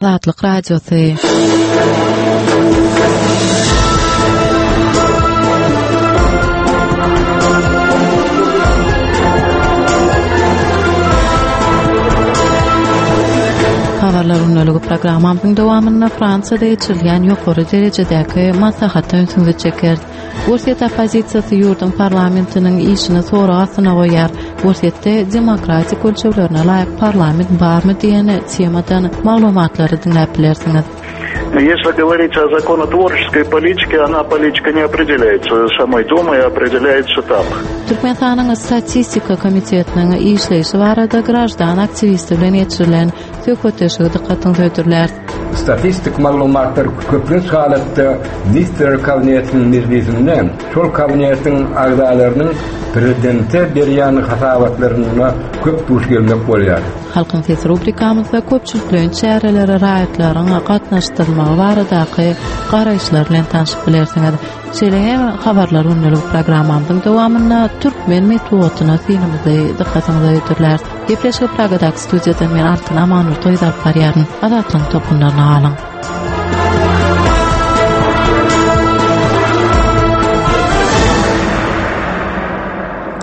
Azatlyk Radiosy. Habarlar gündeligi programmamyzyň dowamynda Fransiýada geçirilýän ýokary derejedäki maslahata ünsüňizi çekeris. Orsýet oppozisiýasy ýurduň parlamentiniň işini sorag astyna goýýar. Orsýetde demokratik ölçeglerine laýyk parlament barmy diýen temadan maglumatlary diňläp bilersiňiz. Если говорить о законотворческой политике, она политика не определяется самой Думой, а определяется там. Türkmenistanyň Statistika komitetiniň işleýşi barada graždan aktiwisti bilen geçirilen Söhbetdeşligi dykgatyňyza hödürläris. Statistik maglumatlar köplenç halatda Ministrler Kabinetiniň mejlisinde şol kabinetiň agzalarynyň Prezidente berýän hasabatlarynda köp duş gelmek bolýar. Halkyň sesi rubrikamyzda köpçülikleýin çärelere raýatlaryň gatnaşdyrylmagy baradaky garaýyşlar bilen tanşyp bilersiňiz. Şeýle hem Habarlar gündelik programmamyzyň dowamynda türkmen metbugatyna synymyzy dykgatyňyza hödürläris. Gepleşigi Pragadaky studiýadan men Altyn Amanurdyýewa alyp barýaryn. Azatlygyň tolkunlaryna galyň.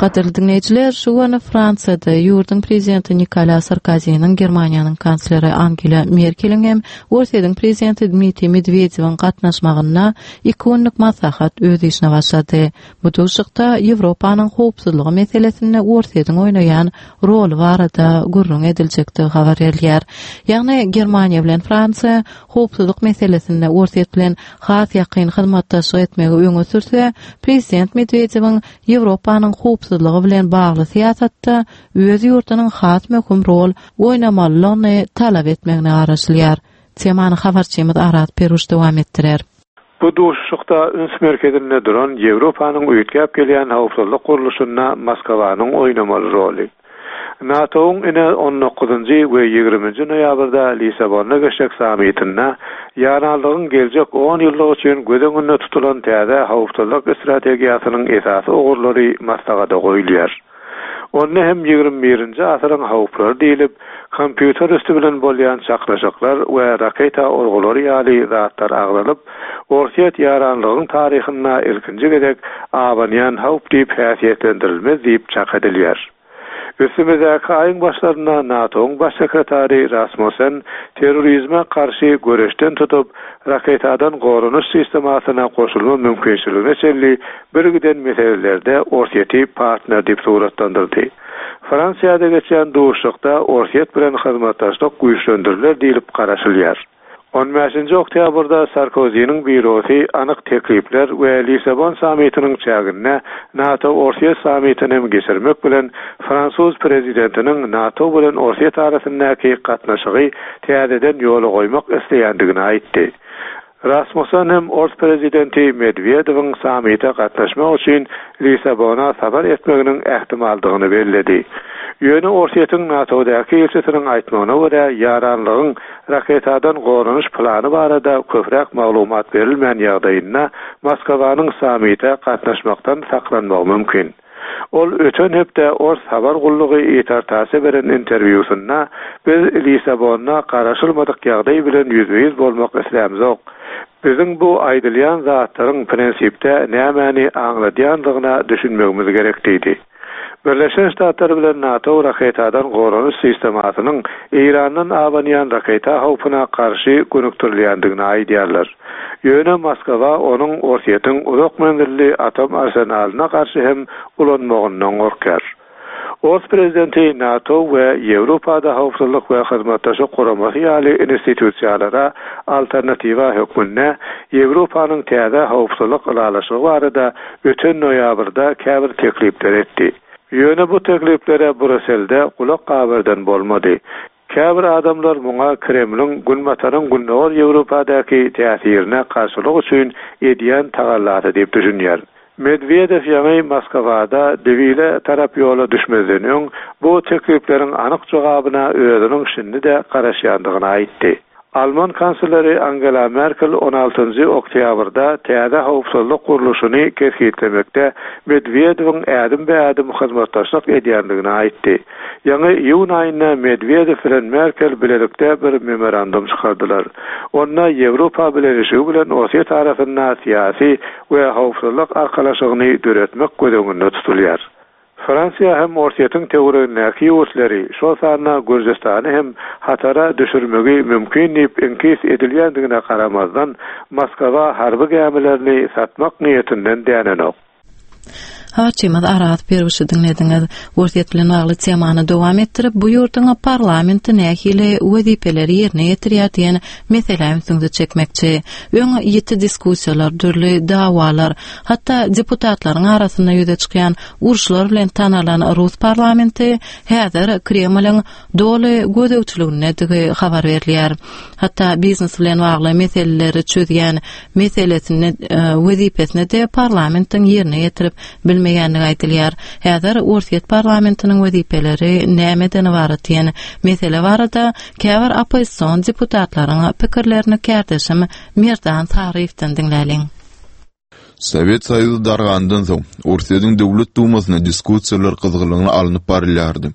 Gadyrly diňleýjiler, şu gün Fransiýada ýurduň prezidenti Nikola Sarkoziniň, Germaniýanyň kansleri Angela Merkeliň hem Orsýetiň prezidenti Dmitriý Medwedewiň gatnaşmagynda iki günlük maslahat öz işine başlady. Bu duşuşykda Ýewropanyň howpsuzlygy meselesinde Orsýetiň oýnaýan roly barada gürrüň ediljekdigi habar berilýär. Ýagny Germaniýa bilen Fransiýa howpsuzlyk meselesinde Orsýet bilen has ýakyn hyzmatdaşlyk etmegi öňe sürse, prezident Medwedewiň Ýewropanyň howpsuzlygy bilen bagly syýasatda öz ýurdunyň has möhüm rol oýnamalydygyny talap etmegine garaşylýar. Temany habarçymyz Araz Peruş dowam etdirer. Bu duşuşykda üns merkezinde duran Ýewropanyň üýtgäp gelýän howpsuzlyk gurluşynda Moskwanyň oýnamaly roly. NATO-yň ine on dokuzynjy we ýigriminji noýabrda Lissabonda geçjek sammitinde ýaranlygyň geljek on ýyllyk üçin göz öňünde tutulan täze howpsuzlyk strategiýasynyň esasy ugurlary maslahata goýulýar. Onda hem 21-nji asyryň howplary diýlip, kompýuter üsti bilen bolýan çaknyşyklar we raketa urgulary ýaly zatlar agzalyp, Orsýet ýaranlygyň taryhynda ilkinji gezek abanýan howp diýip häsiýetlendirilmez diýip çak edilýär. Üstümizdäki aýyň başlarynda NATO-nyň baş sekretary Rasmussen terrorizme garşy göreşden tutup, raketadan goranyş sistemasyna goşulma mümkinçiligine çenli birgiden meselelerde Orsýeti partner diýip suratlandyrdy. Fransiýada geçýän duşuşykda Orsýet bilen hyzmatdaşlyk güýçlendiriler diýlip garaşylýar. On bäşinji oktýabrda Sarkoziniň býurosy anyk teklipler we Lissabon sammitiniň çäginde NATO-Orsýet sammitini hem geçirmek bilen fransuz prezidentiniň NATO bilen Orsýet arasyndaky gatnaşygy täzeden ýola goýmak isleýändigini aýtdy. Rasmussen hem ors prezidenti Medwedewiň sammite gatnaşmak üçin Lissabona sapar etmeginiň ähtimaldygyny belledi. Ýöne Orsýetiň NATO-daky ilçisiniň aýtmagyna görä, ýaranlygyň raketadan goranyş plany barada köpräk maglumat berilmän ýagdaýynda Moskwanyň sammite gatnaşmakdan saklanmagy mümkin. Ol öten hepde ors habar gullugy ITAR-TASS-e beren interwýusynda, Biz Lissabonda garaşylmadyk ýagdaý bilen ýüzbe-ýüz bolmak islämzok. Biziň bu aýdylýan zatlaryň prinsipde nämäni aňladýandygyna düşünmegimiz gerek diýdi. Birleşen Ştatlar bilen NATO raketadan goranyş sistemasynyň Eýrandan abanýan raketa howpuna garşy gönükdirilýändigini aýdýarlar. Ýöne Moskwa onuň Orsýetiň uzak menzilli atom arsenalyna garşy hem ulanmagyndan gorkýar. Ors prezidenti NATO we Ýewropada Howpsuzlyk we Hyzmatdaşlyk Guramasy ýaly institusiýalara alternatiwa hökmünde Ýewropanyň täze howpsuzlyk ylalaşygy barada öten noýabrda käbir teklipler etdi. Ýöne bu tekliplere Bruselde gulak gabardan bolmady. Käbir adamlar muňa Kremliň Günbataryň Gündogar Ýewropadaky täsirine garşylyk üçin edýän tagallasy diýip düşünýär. Medwedew ýaňy Moskwada Dewile tarap ýola düşmezden öň, bu teklipleriň anyk jogabyna özüniň şindi-de garaşýandygyny aýtdy. Alman kansleri Angela Merkel on altynjy oktýabrda täze howpsuzlyk gurluşyny kesgitlemekde Medwedewiň ädim-be-ädim hyzmatdaşlyk edýändigini aýtdy. Ýaňy iýun aýynda Medwedew bilen Merkel bilelikde bir memorandum çykardylar. Onda Ýewropa Bileleşigi bilen Orsýet arasynda syýasy we howpsuzlyk arkalaşygyny döretmek göz öňünde tutulýar. Fransiýa hem Orsýetiň töweregindäki ýurtlary, şol sanda Gürjüstany hem hatara düşürmegi mümkin diýip iňkis edilýändigine garamazdan, Moskwa harby gämilerini satmak niýetinden dänenok. Habarçymyz Araz Perwişi diňlediňiz. Orsýet bilen bagly temany dowam etdirip, bu ýurduň parlamenti nähili wezipeleri ýerine ýetirýär diýen meselä ünsüňizi çekmekçi. Öň ýiti diskussiýalar, dürli dawalar, Hatda deputatlaryň arasynda ýüze çykýan uruşlar bilen tanalan rus parlamenti häzir Kremliň doly gözegçiligindedigi habar berilýär. Hatda biznes bilen bagly meseleleri çözýän meselesini wezipesini-de parlamentiň ýerine ýetirip bilmeýändigi aýdylýar. Häzir Orsýet parlamentiniň wezipeleri nämeden ybarat diýen mesele barada käbir oppozision deputatlaryň pikirlerini kärdeşim Merdan Saryýewden diňläliň. Sowet Soýuzy dargandan soň, Orsýetiň Döwlet Dumasynda diskussiýalar gyzgalaňly alnyp barylýardy.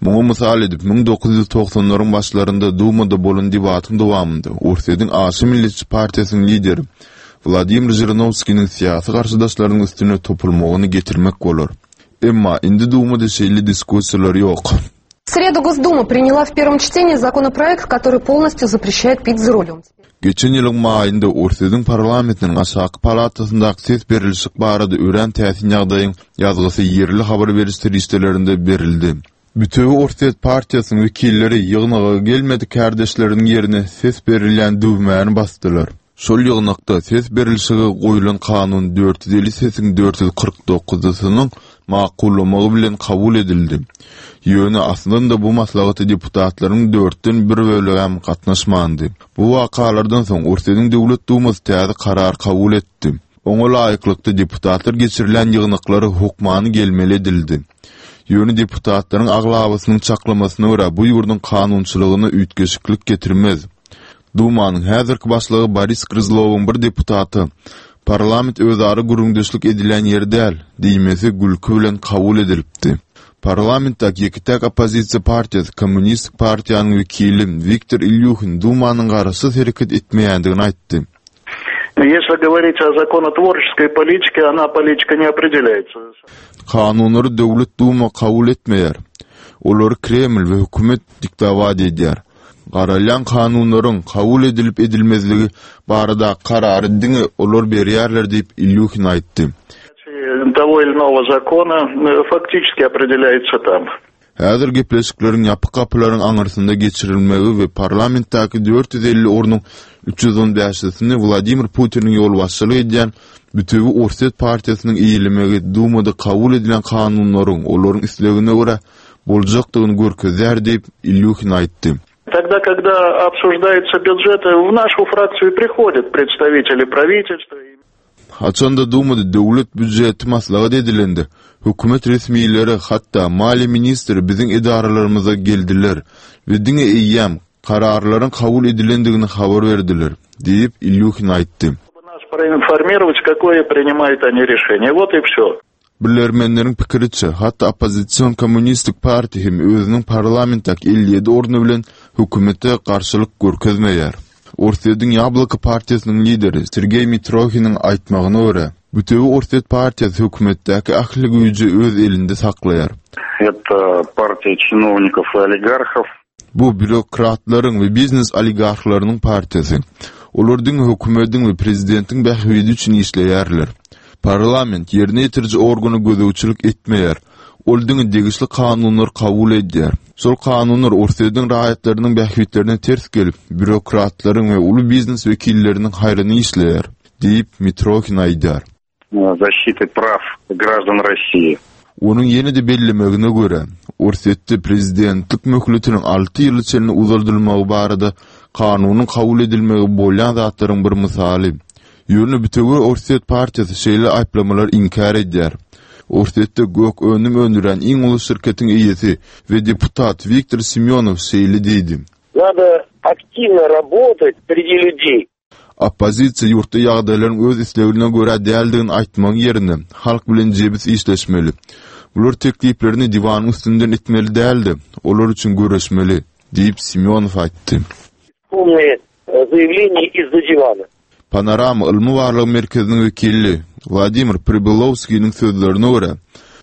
Muňa mysal edip, 1990-laryň başlarynda Dumada bolan debatyň dowamynda Orsýetiň aşa milletçi partiýasynyň lideri Wladimir Žirinowskiniň syýasy garşydaşlarynyň üstüne topulmagyny getirmek bolar. Emma indi Dumada şeýle diskussiýalar ýok. В среду Госдума приняла в первом чтении законопроект, который полностью запрещает пить за рулем. Geçen ýylyň maýynda Orsýetiň parlamentiniň aşaky palatasyndaky ses berilişik barada örän täsin ýagdaýyň ýazgysy ýerli habar beriş serişdelerinde berildi. Bütewi Orsýet partiýasynyň wekilleri ýygnaga gelmedik kärdeşleriniň ýerine ses berilýän düwmäni basdylar. Şol ýygnakda ses berilişige goýlan kanun 450 sesiň 449-synyň makullamagy bilen kabul edildi. Ýöne aslynda bu maslahata deputatlaryň dörtden bir bölegem gatnaşmandy. Bu wakalardan soň Orsýetiň Döwlet Dumasy täze karar kabul etdi. Oňa laýyklykda deputatlar geçirilýän ýygnaklara hökmany gelmeli edildi. Ýöne deputatlaryň aglabasynyň çaklamasyna görä bu ýurduň kanunçylygyna üýtgeşiklik getirmez. Dumanyň häzirki başlygy Boris Gryzlowyň bir deputata, Parlament özara gürrüňdeşlik edilýän ýer däl diýmesi gülki bilen kabul edilipdi. Parlamentdäki ýeke-täk oppozisiýa partiýasy Kommunistik partiýanyň wekili Wiktor Ilýuhin Dumanyň garaşsyz hereket etmeýändigini aýtdy. Если говорить о законотворческой политике, она политика не определяется. Kanunlary Döwlet Duma kabul etmeýär. Olary Kreml we hökümet diktowat edýär. Garalýan kanunlaryň kabul edilip-edilmezligi baradaky karary diňe olar berýärler diýip, Ilýuhin aýtdy. Того или иного закона фактически определяется там. Häzir gepleşikleriň ýapyk gapylaryň aňyrsynda geçirilmegi we parlamentdäki 450 ornuň 315-sini Wladimir Putiniň ýolbaşçylyk edýän Bütewi Orsýet partiýasynyň eýelemegi Dumada kabul edilen kanunlaryň olaryň islegine görä boljakdygyny görkezýär diýip, Ilýuhin aýtdy. Тогда, когда обсуждаются бюджеты, в нашу фракцию приходят представители правительства. Haçanda Dumada döwlet býujeti maslahat edilende, hökümet resmileri, hatda maliýe ministri biziň edaralarymyza geldiler we diňe eýýäm kararlaryň kabul edilendigini habar berdiler, diýip, Ilýuhin aýtdy. Нас проинформировать, какое принимают они решение. Вот и все. Bilermenleriň pikiriçe, hatda oppozision Kommunistik partiýa hem özüniň parlamentdäki 57 orny bilen hökümete garşylyk görkezmeýär. Orsýetiň Ýabloko partiýasynyň lideri Sergeý Mitrohiniň aýtmagyna görä, Bütewi Orsýet partiýasy hökümetdäki ähli güýji öz elinde saklaýar. Это партия чиновников и олигархов. Bu býurokratlaryň we biznes oligarhlarynyň partiýasy. Olar diňe hökümediň we prezidentiň bähbidi üçin işleýärler. Parlament ýerine ýetiriji organa gözegçilik etmeýär. Ol diňe degişli kanunlary kabul edýär. Şol kanunlar Orsýetiň raýatlarynyň bähbitlerine ters gelip, býurokratlaryň we uly biznes wekilleriniň haýryna işleýär, diýip, Mitrohin aýdýar. Защиты прав граждан России. Onuň ýene-de bellemegine görä, Orsýetde prezidentlik möhletiniň alty ýyla çenli uzaldylmagy barada kanunyň kabul edilmegi bolýan zatlaryň bir mysaly. Ýöne Bütewi Orsýet partiýasy şeýle aýyplamalary inkär edýär. Orsýetde gök önüm öndürýän iň uly şirketiň eýesi we deputat Wiktor Semýonow şeýle diýdi. Nado. Активно работать среди людей. Oppozisiýa ýurtda ýagdaýlaryň öz islegine görä däldigini aýtmagyň ýerine, halk bilen jebis işleşmeli. Bular tekliplerini diwanyň üstünden itmeli däl-de, olar üçin göreşmeli, diýip, Simýonow aýtdy. Умные заявления из-за дивана. Panorama ylmy-barlag merkeziniň wekili Wladimir Pribylowskiniň sözlerine görä,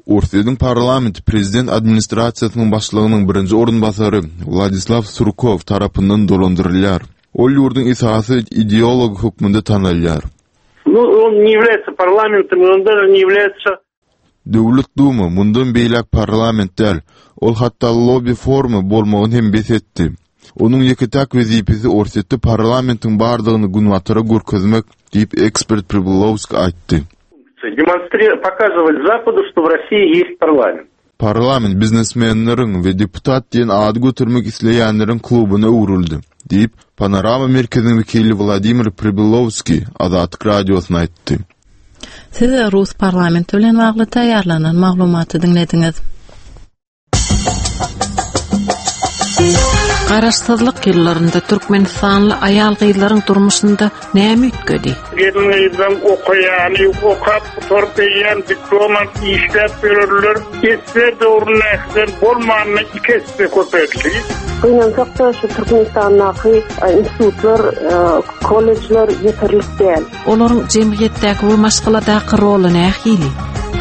Orsýetiň parlamenti prezident administrasiýasynyň başlygynyň birinji orunbasary Wladislaw Surkow tarapyndan dolandyrylýar. Ol ýurduň esasy ideology hökmünde tanalýar. Nu, on ne ýawlýaetsa parlamentom, on daže ne ýawlýaetsa Döwlet Duma mundan beýläk parlament däl, ol hatda lobbi forumy bolmagyny hem bes etdi. Onuň ýeke-täk wezipesi Orsýetde parlamentiň bardygyny Günbatara görkezmek, diýip, ekspert Pribylowskiý aýtdy. Pokazywać Zapadu, что w Rossii ýest parlament. Parlament biznesmenleriň we deputat diýen ady götermek isleýänleriň klubyna öwrüldi, diýip, Panorama merkeziniň wekili Wladimir Pribylowskiý Azatlyk Radiosyna aýtdy. Siz rus parlamenti bilen bagly taýýarlanan maglumaty diňlediňiz. Garaşsyzlyk ýyllarynda türkmenistanly aýal-gyzlaryň durmuşynda näme üýtgedi? Gelin-gyzlaň okaýany, okap gutaryp eýýäm diplom alyp işläp ýörerler. Esse döwründäkiden bolmanda iki esse köpeldi. Gynansak-da, şu Türkmenistandaky institutlar, kollejler ýeterlik däl. Olaryň jemgyýetdäki we maşgaladaky roly nähili?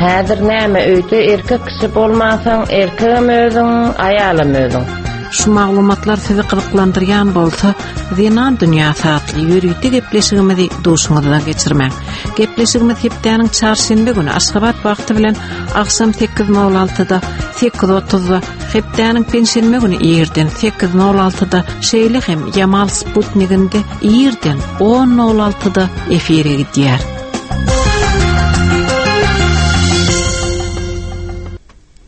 Häzir näme öýde erkek kişi bolmansoň erkegem özüň, aýalam özüň. Şu maglumatlar sizi gyzyklandyrýan bolsa, Zenan dünýäsi atly ýörite gepleşigimizi duşuňyzdan geçirmäň. Gepleşigimiz hepdäniň çarşenbe güni Aşgabat wagty bilen agşam 8:06-da, 8:30-da, hepdäniň penşenbe güni irden 8:06-da, şeýle hem Ýamal Sputniginde irden 10:06-da efire gidýär.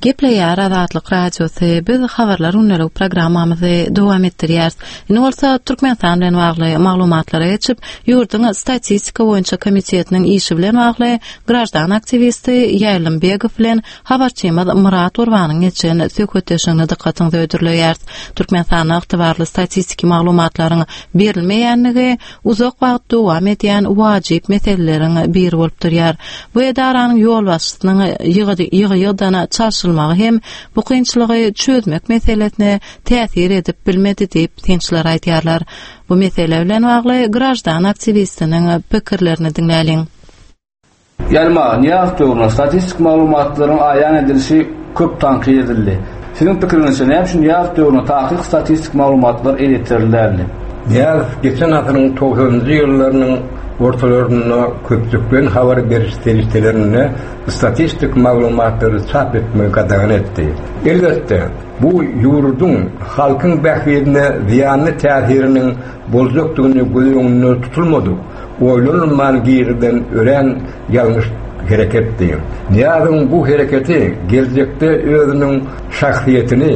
Gepleýär Azatlyk Radiosy. Biz Habarlar gündelik programmamyzy dowam etdirýäris. Indi bolsa Türkmenistan bilen bagly maglumatlara geçip, ýurduň Statistika boýunça komitetiniň işi bilen bagly graždan aktiwisti Ýaýlym Begow bilen habarçymyz Myrat Gurbanyň geçen söhbetdeşligini dykgatyňyza hödürleýäris. Türkmenistanda ygtybarly statistiki maglumatlaryň berilmeýänligi uzak wagt dowam edýän wajyp meseleleriň biri bolup durýar. Bu edaranyň ýolbaşçysynyň ýygy-ýygydan çalşylmagy hem bu kynçylygy çözmek meselesine täsir edip bilmedi diýip, synçylar aýdýarlar. Bu mesele bilen bagly graždan aktiwistiniň pikirlerini diňläliň. Ýalma, Nyýazow döwründe statistik maglumatlaryň aýan edilişi köp tankyt edildi. Siziň pikiriňizçe, näme üçin Nyýazow döwründe takyk statistik maglumatlar elýeterli däldi? Nyýazow geçen asyryň togsanynjy ýyllarynyň ortalarynda köpçülikleýin habar beriş serişdelerinde statistik maglumatlary çap etmegi gadagan etdi. Elbetde, bu ýurduň, halkyň bähbidine zyýanly täsiriniň boljakdygyny göz öňünde tutulmadyk, oýlanylman girizilen örän ýalňyş hereketdi. Nyýazowyň bu hereketi geljekde özüniň şahsyýetini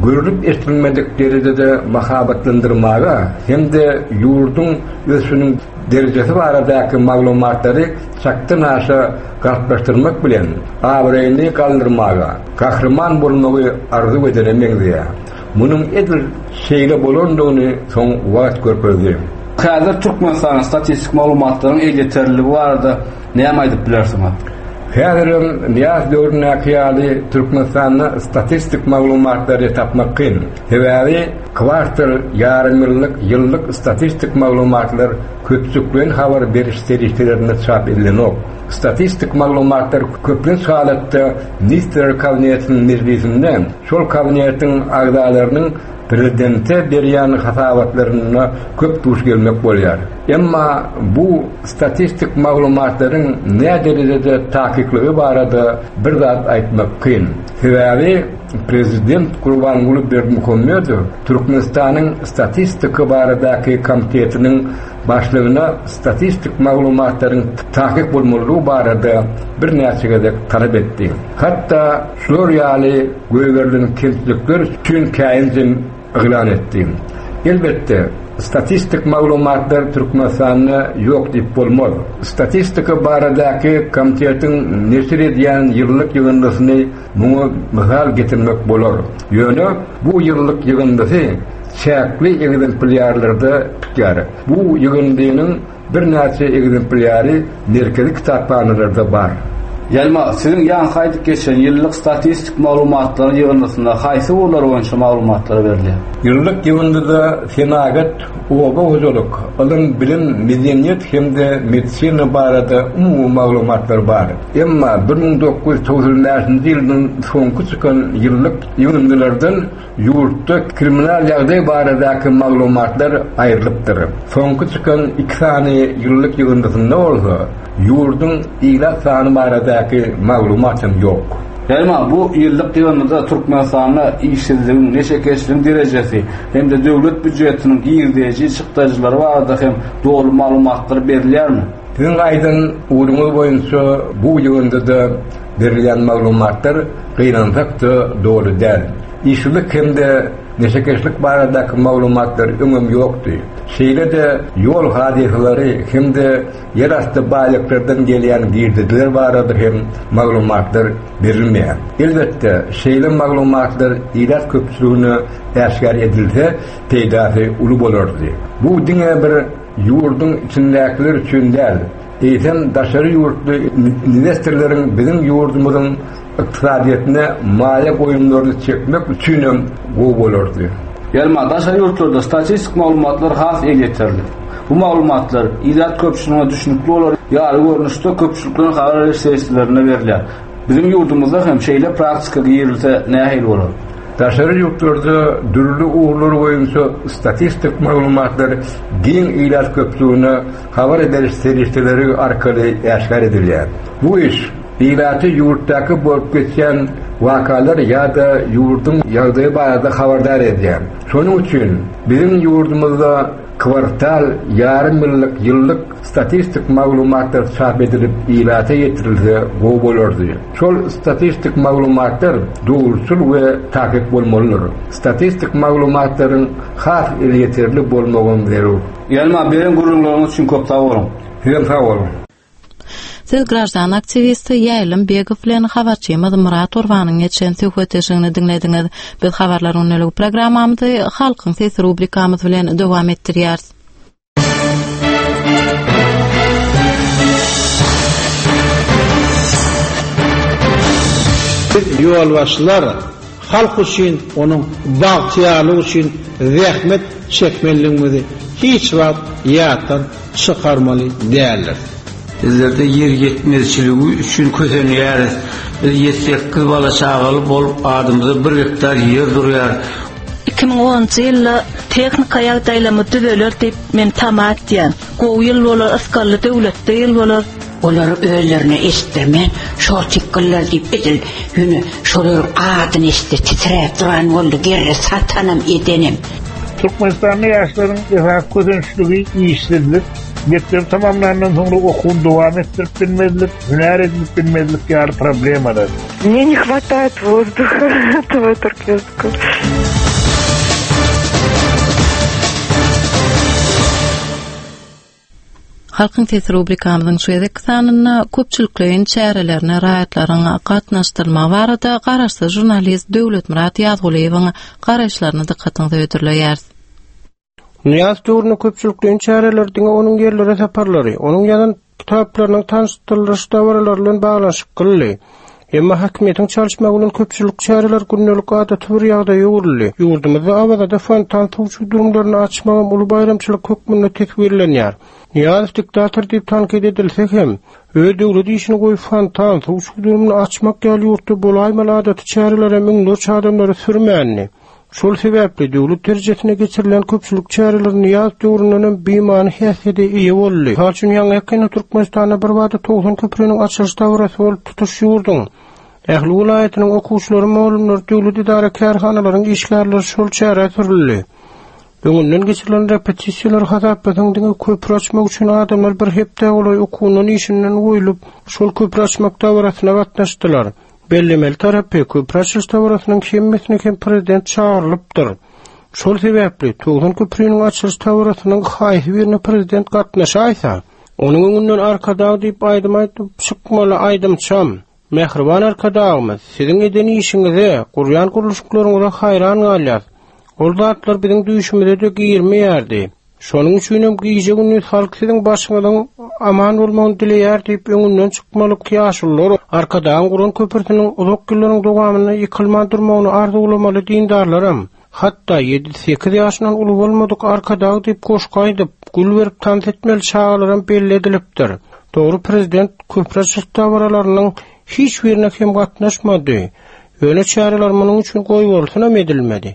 görlüp-eşidilmedik derejede mahabatlandyrmaga hem-de ýurduň ösüşiniň derejesi baradaky maglumatlary çakdan-aşa galplaşdyrmak bilen abraýyny galdyrmaga, gahryman bolmagy arzuw edene meňzeýär. Munuň edil şeýle bolandygyny soň wagt görkezdi. Häzir Türkmenistanyň statistik maglumatlaryň elýeterliligi barada näme aýdyp bilersiňiz? Häzirem Nyýaz döwründäki ýaly Türkmenistanda statistik maglumatlary tapmak kyn. Sebäbi kwartal, ýarymýyllyk, ýyllyk statistik maglumatlar köpçülikleýin habar beriş serişdelerinde çap edilenok. Statistik maglumatlar köplenç halatda Ministrler Kabinetiniň mejlisinde Şol kabinetiň agzalarynyň prezidente berýän hasabatlarynda köp duş gelmek bolýar. Emma bu statistik maglumatlaryň näderejede takyklygy barada bir zat aýtmak kyn. Sebäbi prezident Gurbanguly Berdimuhamedow Türkmenistanyň Statistika baradaky komitetiniň başlygyna statistik maglumatlaryň takyk bolmalydygy barada birnäçe gezek talap etdi. Hatda şular ýaly goýberilen kemçilikler üçin käýinjem yglan etdi. Elbetde, statistik maglumatlar Türkmenistanda ýok diýip bolmaz. Statistika baradaky komitetiň neşir edýän ýyllyk ýygyndysyny muňa mysal getirmek bolar. Ýöne bu ýyllyk ýygyndysy. çäkli ekzemplýarlarda çykýar. Bu ýygyndynyň birnäçe ekzemplýary merkezi kitaphanalarda bar. Ýelma, siziň ýaňky aýdyp geçen ýyllyk statistik maglumatlaryň ýygyndysynda haýsy ugurlar boýunça maglumatlar berilýär? Ýyllyk ýygyndyda senagat, oba hojalyk, ylym, bilim, medeniýet hem-de medisina barada umumy maglumatlar bar. Emma 1995-nji ýyldan soňky çykan ýyllyk ýygyndylardan Ýurtda kriminal ýagdaý baradaky maglumatlar aýrylypdyr. Soňky çykan iki sany ýyllyk ýygyndysynda bolsa, ýurduň ilat sany baradaky maglumat hem ýok. Emma bu ýyllyk ýygyndyda Türkmenistanda işsizligiň, neşekeşligiň derejesi hem-de döwlet býujetiniň girdeji-çykdajylary barada hem doly maglumatlar berilýärmi? Siziň aýdan ugruňyz boýunça bu ýygyndyda berilýän maglumatlar gynansak-da doly däl. Işsizlik hem-de neşekeşlik baradaky maglumatlar öňem ýokdy. Şeýle-de ýol hadysalary hem-de ýerasty baýlyklardan gelýän girdejiler barada hem maglumatlar berilmeýär. Elbetde, şeýle maglumatlar ilat köpçüligine äşgär edilse, peýdasy uly bolardy. Bu diňe bir ýurduň içindäkiler üçin däl, eýsem daşary ýurtly inwestorlaryň biziň ýurdumyzyň ykdysadyýetine maýa goýumlaryny çekmek üçinem gowy bolardy. Ýelma, daşary ýurtlarda statistik maglumatlar has elýeterli. Bu maglumatlar ilat köpçüligine düşnükli bolar ýaly görnüşde köpçülikleýin habar beriş serişdelerinde berilýär. Biziň ýurdumyzda hem şeýle praktika girilse nähili bolar? Daşary ýurtlarda dürli ugurlar boýunça statistik maglumatlar giň ilat köpçüligine habar beriş serişdeleri arkaly äşgär edilýär. Bu iş ilaty ýurtdaky bolup geçýän wakalar ýa-da ýurduň ýagdaýy barada habardar edýär. Şonuň üçin biziň ýurdumyzda kwartal, ýarym ýyllyk, ýyllyk statistik maglumatlar çap edilip ilata ýetirilse gowy bolardy. Şol statistik maglumatlar dogruçyl we takyk bolmalydyr. Statistik maglumatlaryň has elýeterli bolmagam zerur. Ýelma, beren gürrüňleriňiz üçin köp sag boluň. Sizem sag boluň. Siz graždan aktiwisti Ýaýlym Begow bilen habarçymyz Myrat Gurbanyň geçiren söhbetdeşligini diňlediňiz. Biz Habarlar gündeligi programmamyzy Halkyň sesi rubrikamyz bilen dowam etdirýäris. Biz ýolbaşçylar halk üçin, onuň bagtyýarlygy üçin zähmet çekmelidigimizi hiç wagt ýatdan çykarmaly däldiris. Bizlerde ýer ýetmezçiligi üçin kösenýäris. Biz ýedi-sekiz bala-çagaly bolup, adymyza bir gektar ýer durýar. 2010-njy ýylda tehnika ýagdaýlarymyz düzeler diýip men tama etýän. Gowy ýyl bolar, ysgally döwletli ýyl bolar. Olary özlerine eşitdirmän, şortikgiller diýip edil ýöne şolaryň adyny eşitse titräp duran boldy, gerre satanam edenem. Türkmenistanda ýaşlaryň esasy kösençligi işsizlik, mekdebi tamamlandan soňra okuwyny dowam etdirip bilmezlik, hünär edinip bilmezlik ýaly problemalar. Мне не хватает воздуха этого туркменского. Halkyň sesi rubrikamyzyň şu gezekki sanynda köpçülikleýin çärelerine raýatlaryň gatnaşdyrylmagy barada garaşsyz žurnalist Döwletmyrat Ýazgulyýewiň garaýyşlaryny dykgatyňyza hödürleýäris. Nyýazow döwründe köpçülikleýin çäreler diňe onuň ýerlere saparlary, onuň ýazan kitaplarynyň tanyşdyrylyş dabaralary bilen baglanyşyklydy. Emma häkimiýetiň çalyşmagy bilen köpçülik çäreler gündelik adaty bir ýagdaýa öwrüldi. Ýurdumyzda Awazada fontan suw çüwdürimlerini açmagam uly baýramçylyk hökmünde teswirlenýär. Nyýazow diktator diýip tankyt edilse hem, öz döwlet işini goýup fontan, suw çüwdürimini açmak ýaly ýurtda bolaýmaly adaty çärelere müňlerçe adamlary sürmändi. Şol sebäpli döwlet derejesinde geçirilen köpçülik çäreleri Nyýazow döwründenem bimany häsiýete eýe boldy. Mysal üçin, ýaňy-ýakynda Türkmenistanda birbada 90 köpriniň açylyş dabarasy bolup, tutuş ýurduň ähli welaýatynyň okuwçylary, mugallymlary, döwlet edara-kärhanalaryň işgärleri şol çärä sürüldi. Öňünden geçirilen repetisiýalary hasaplasaň, diňe köpri açmak üçin adamlar bir hepdä golaý okuwyndan-işinden goýlup, şol köpri açmak dabarasyna gatnaşdylar. Bellemeli tarapy, köpri açylyş dabarasynyň hemmesine hem prezident çagyrylypdyr. Şol sebäpli, 90 köpriniň açylyş dabarasynyň haýsy birine prezident gatnaşaýsa, onuň öňünden Arkadag diýip aýdym aýdyp çykmaly aýdymçam. Mähriban Arkadagymyz, siziň eden işiňize, gurýan gurluşyklaryňyza haýran galýas. Ol zatlar biziň düýşümize-de girmeýärdi. Şonuň üçinem gije-gündiz halk siziň başyňyzyň aman bolmagyny dileýär diýip öňünden çykmaly ýaşulular Arkadagyň guran köprüsiniň uzak ýyllaryň dowamynda ýykylman durmagyny arzuwlamaly dindarlaram, hatda ýedi-sekiz ýaşyndan uly bolmadyk Arkadag diýip goşgy aýdyp, gül berip tans etmeli çagalaram belli edilipdir. Dogry prezident köpri açylyş dabaralarynyň hiç birine hem gatnaşmady. Ýöne çäreler munuň üçin goýbolsunam edilmedi.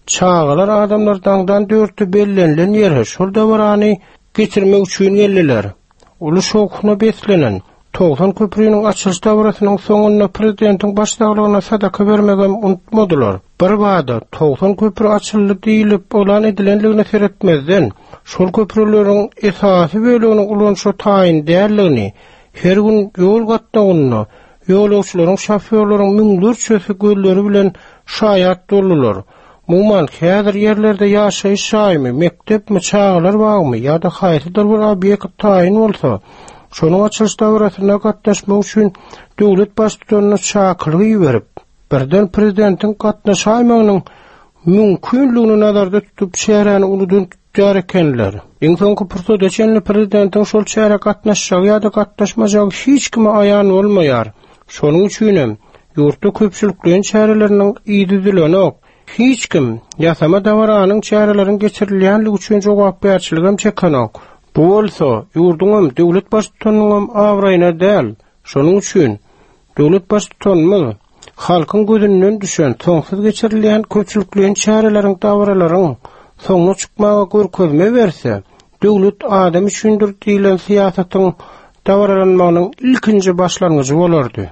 Çagalar adamlar daňdan dörtde bellenilen ýere şol dabarany geçirmek üçin geldiler. Uly şowhuna beslenen 90 köprüniň açylyş dabarasynyň soňunda prezidentiň baş saglygyna sadaka bermegem unutmadylar. Birbada 90 köpri açyldy diýlip yglan edilenligine seretmezden, şol köprüleriň esasy böleginiň ulanyşa taýyn däldigini, her gün ýol gatnawynda Ýolagçylaryň, şofýorlaryň müňlerçesi gözleri bilen şaýat boldular. Umuman, häzir ýerlerde ýaşaýyş jaýymy, mekdepmi, çagalar bagymy ýa-da haýsydyr bir obýekt taýyn bolsa, şonuň açylyş dabarasyna gatnaşmak üçin döwlet Baştutanyna çakylyk iberip, birden prezidentiň gatnaşaýmagynyň mümkinligini nazarda tutup çäräni uludan tutýar ekenler. Iň soňky pursada çenli prezidentiň şol çärä gatnaşjagy ýa-da gatnaşmajagy hiç kime aýan bolmaýar. Şonuň üçinem, ýurtda köpçülikleýin çäreleriniň yzy üzülenok. Hiç kim ýasama dabaranyň çäreleriň geçirilýänligi üçin jogapkärçiligem çekenok. Bu bolsa, ýurduňam, döwlet baştutanynyňam abraýyna däl. Şonuň üçin, döwlet Baştutanymyz halkyň gözünden düşen soňsuz geçirilýän köpçülikleýin çäreleriň, dabaralaryň soňuna çykmaga görkezme berse, Döwlet adam üçindir diýlen syýasatyň dabaralanmagynyň ilkinji başlangyjy bolardy.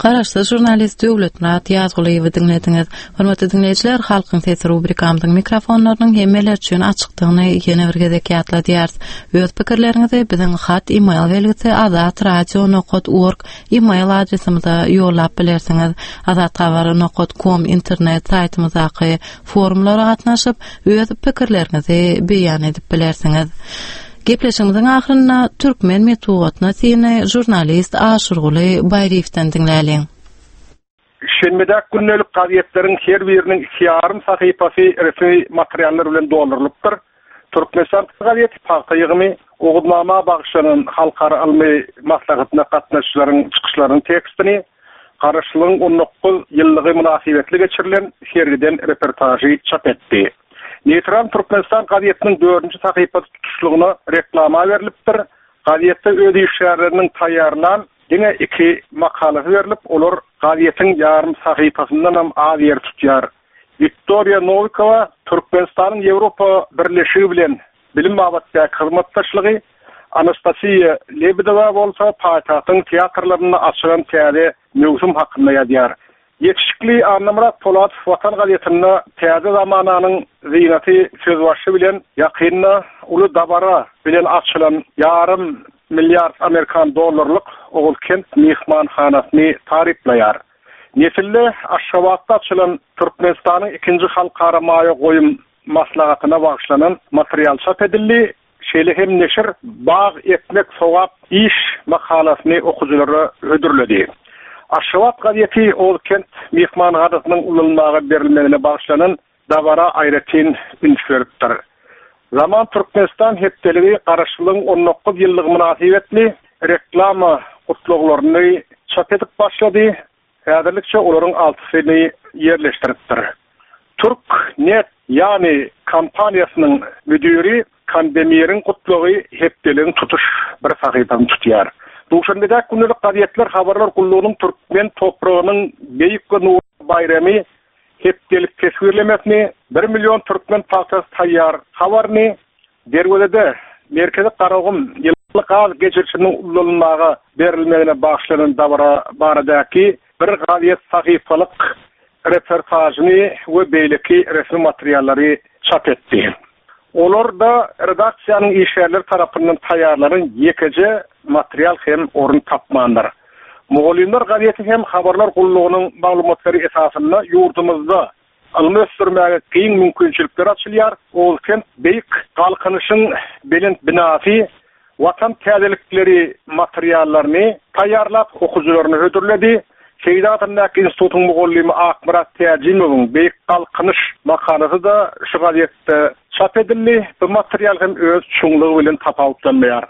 Garaşsyz žurnalist Döwletmyrat Ýazgulyýewi diňlediňiz. Hormatly diňleýjiler, Halkyň sesi rubrikamyzyň mikrofonlarynyň hemmeler üçin açykdygyny ýene bir gezek ýatladýarys. Öz pikirleriňizi biziň hat e-mail belgisi azatradio nokat org e-mail adresimize ýollap bilersiňiz. Azathabar nokat kom internet saýtymyzdaky forumlara gatnaşyp, öz pikirleriňizi beýan edip bilersiňiz. Gepleşigimiziň ahyrynda türkmen metbugatyna syny žurnalist Aşyrguly Baýryýewden diňläliň. Şenbedäki gündelik gazetleriň her biriniň iki ýarym sahypasy resmi materiallar bilen doldurylypdyr. Türkmenistan gazeti pagta ýygymy, Oguznama bagyşlanan halkara ylmy maslahatyna gatnaşyjylaryň çykyşlarynyň tekstini, Garaşsyzlygyň 19 ýyllygy mynasybetli geçirilen sergiden reportažy çap etdi. Neýtral Türkmenistan gazetiniň dördünji sahypasy tutuşlygyna reklama berlipdir. Gazetde öz işgärleriniň taýýarlan diňe iki makalasy berlip, olar gazetiň ýarym sahypasyndanam az ýer tutýar. Wiktoriýa Nowikowa Türkmenistanyň Ýewropa Birleşigi bilen bilim babatdaky hyzmatdaşlygy, Anastasiýa Lebedewa bolsa paýtagtyň teatrlarynda açylan täze möwsüm hakynda ýazýar. Ýetişikli Annamyrat Polatow Watan gazetinde Täze zamananyň zynaty sözbaşy bilen ýakynda uly dabara bilen açylan ýarym milliard amerikan dollarlyk Oguzkent myhmanhanasyny taryplaýar. Nesilde Aşgabatda açylan Türkmenistanyň ikinji halkara maýa goýum maslahatyna bagyşlanan material çap edildi. Şeýle hem neşir Bag ekmek sogap iş makalasyny okyjylara hödürledi. Aşgabat gazeti Ozkent myhmanhanasynyň ulanylmaga berilmegine bagyşlanan dabara aýratyn üns beripdir. Zaman Türkmenistan hepdeligi Garaşsyzlygyň 19 ýyllygy mynasybetli reklama gutlaglaryny çap edip başlady. Häzirlikçe olaryň altysyny ýerleşdiripdir. Türk Net Ýany kompaniýasynyň müdiri Kandemiriň gutlagy hepdeligiň tutuş bir sahypasyny tutýar. Duşenbedäki gündelik gazetler habarlar gullugynyň türkmen topragynyň beýik we nurly baýramy hepdelik teswirlemesini, bir million türkmen pagtasy taýýar habaryny, Derwezede Merkezi Garagum ýyly gaz geçirijisiniň ulanylmaga berilmegine bagyşlanan dabara baradaky bir gazet sahypalyk reportažyny we beýleki resmi materiallary çap etdi. Olarda redaksiýanyň işgärleri tarapyndan taýýarlanan ýekeje material hem orun tapmandyr. Mugallymlar gazeti hem habarlar gullugynyň maglumatlary esasynda ýurdumyzda Ylmy ösdürmäge giň mümkinçilikler açylýar. Oguzkent beýik Galkynyşyň belent binasy Watan täzelikleri materiallaryny taýýarlap, okyjylaryna hödürledi. Seýdi adyndaky institutyň mugallymy Akmyrat Täjimowyň Beýik Galkynyş makalasy-da şu gazetde çap edildi. Bu material hem öz çuňlugy bilen tapawutlanmaýar.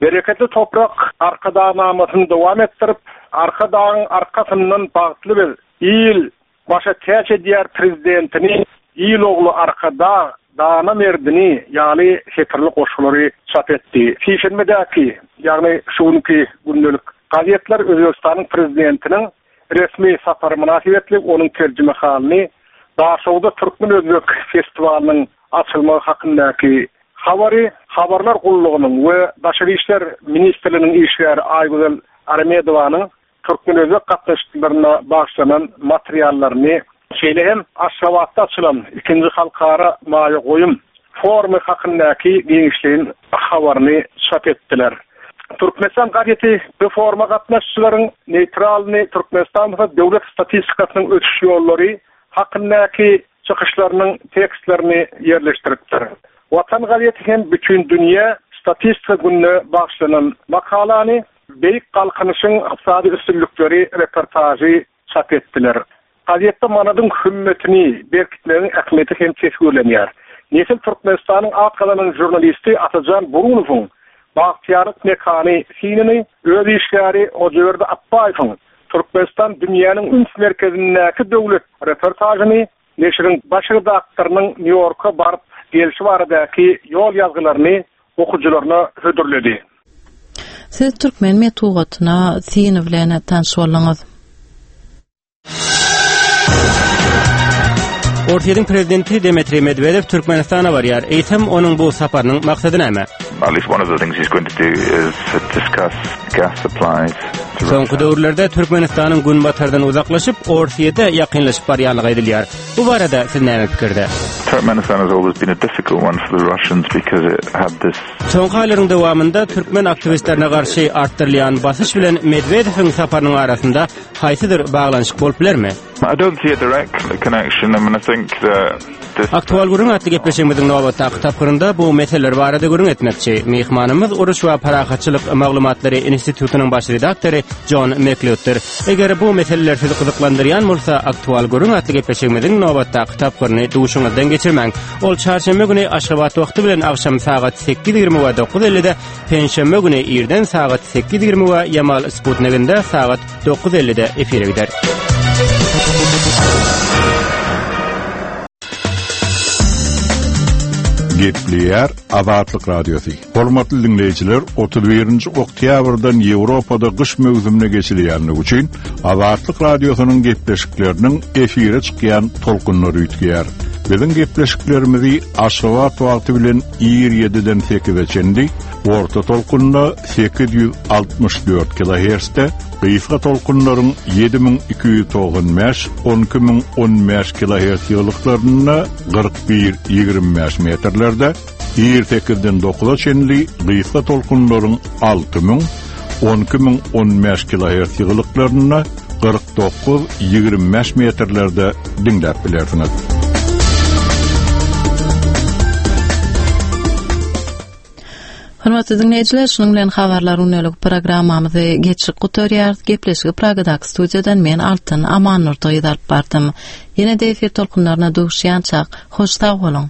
Bereketli toprak Arkadagnamasyny dowam etdirip, Arkadagyň arkasyndan bagtly biz, il başa täç edýär Prezidentini, Il ogly Arkadag, dana merdini ýaly setirli goşgulary çap etdi. Sişenbedäki, ýagny şu günki gündelik gazetler Özbegistanyň Prezidentiniň resmi sapary mynasybetli onuň terjimehalyny, Daşoguzda türkmen-özbek festiwalynyň açylmagy hakyndaky habary Habarlar gullugynyň we Daşary işler ministrliginiň işgäri Aýgözel Aramedowanyň türkmen-özbek gatnaşyklaryna bagyşlanan materiallaryny, şeýle hem Aşgabatda açylan ikinji halkara maýa goýum forumy hakyndaky giňişleýin habaryny çap etdiler. Türkmenistan gazeti bu foruma gatnaşyjylaryň neýtralny Türkmenistan bolsa döwlet statistikasynyň ösüş ýollary hakyndaky çykyşlarynyň tekstlerini ýerleşdiripdir. Watan gazeti hem Bütindünýä statistika gününe bagyşlanan makalany, Beýik Galkynyşyň ykdysady üstünlikleri reportažy çap etdiler. Gazetde manadyň hümmetini berkitmegiň ähmiýeti hem teswirlenýär. Nesil Türkmenistanyň at gazanan žurnalisti Atajan Burunowyň Bagtyýarlyk mekany synyny öz işgäri Hojaberdi Apbaýewiň Türkmenistan dünýäniň üns merkezindäki döwlet reportažyny neşiriň baş redaktorynyň Nýu-Ýorka baryp gelşi baradaky ýol ýazgylaryny okyjylaryna hödürledi. Siz türkmen metbugatyna syny bilen tanyş bolduňyz. Orsýetiň prezidenti Dmitriý Medwedew Türkmenistana barýar. Eýsem, onuň bu saparynyň maksady näme? At least one of the things he's going to do is to discuss gas supplies. Soňky döwürlerde Türkmenistanyň Günbatardan uzaklaşyp, Orsýete ýakynlaşyp barýanlygy aýdylýar. Bu barada siz näme pikirde? Turkmenistan has always been a difficult one for the Russians because it had this Soňky aýlaryň dowamynda türkmen aktiwistlerine garşy artdyrylýan basyş bilen Medwedewiň saparynyň arasynda haýsydyr baglanyşyk bolup bilermi? I don't see a direct connection. I mean, I think that this... Aktual gürrüň atly gepleşigimiziň nobatdaky tapgyrynda bu meseleler barada gürrüň etmekçi. Myhmanymyz Uruş we parahatçylyk maglumatlary institutynyň baş redaktory Jon Meklewddir. Eger bu meseleler sizi gyzyklandyrýan bolsa, Aktual gürrüň atly gepleşigimiziň nobatdaky tapgyryny duşuňyzdan geçirmäň. Ol çarşenbe güni Aşgabat wagty bilen agşam sagat 8:20 we 9:50-de, penşenbe güni irden sagat 8:20 we Ýamal Sputniginde sagat 9:50-de efire gider. Gepleýär Azatlyk Radiosy. Hormatly diňleýjiler, 31-nji oktýabrdan Ýewropada gyş möwsümine geçilýänligi üçin Azatlyk Radiosynyň gepleşikleriniň efire çykýan tolkunlary üýtgeýär. Biziň gepleşiklerimizi Aşgabat wagty bilen ir ýediden sekize çenli orta tolkunda 864 kilohertzde, gysga tolkunlaryň 7295, 12015 kilohertz ýygylyklarynda 41, 25 metrlerde, ir sekizden dokuza çenli gysga tolkunlaryň 6000, 12015 kilohertz ýygylyklarynda 49, 25 metrlerde diňläp bilersiňiz. Hormatly diňleýjiler, şunuň bilen habarlar gündelik programmamyzy geçirip gutarýarys. Gepleşigi Pragadaky studiýadan men Altyn Amannurdy gyz alyp bardym. Ýene-de efir tolkunlaryna duşýançak, hoş sag boluň!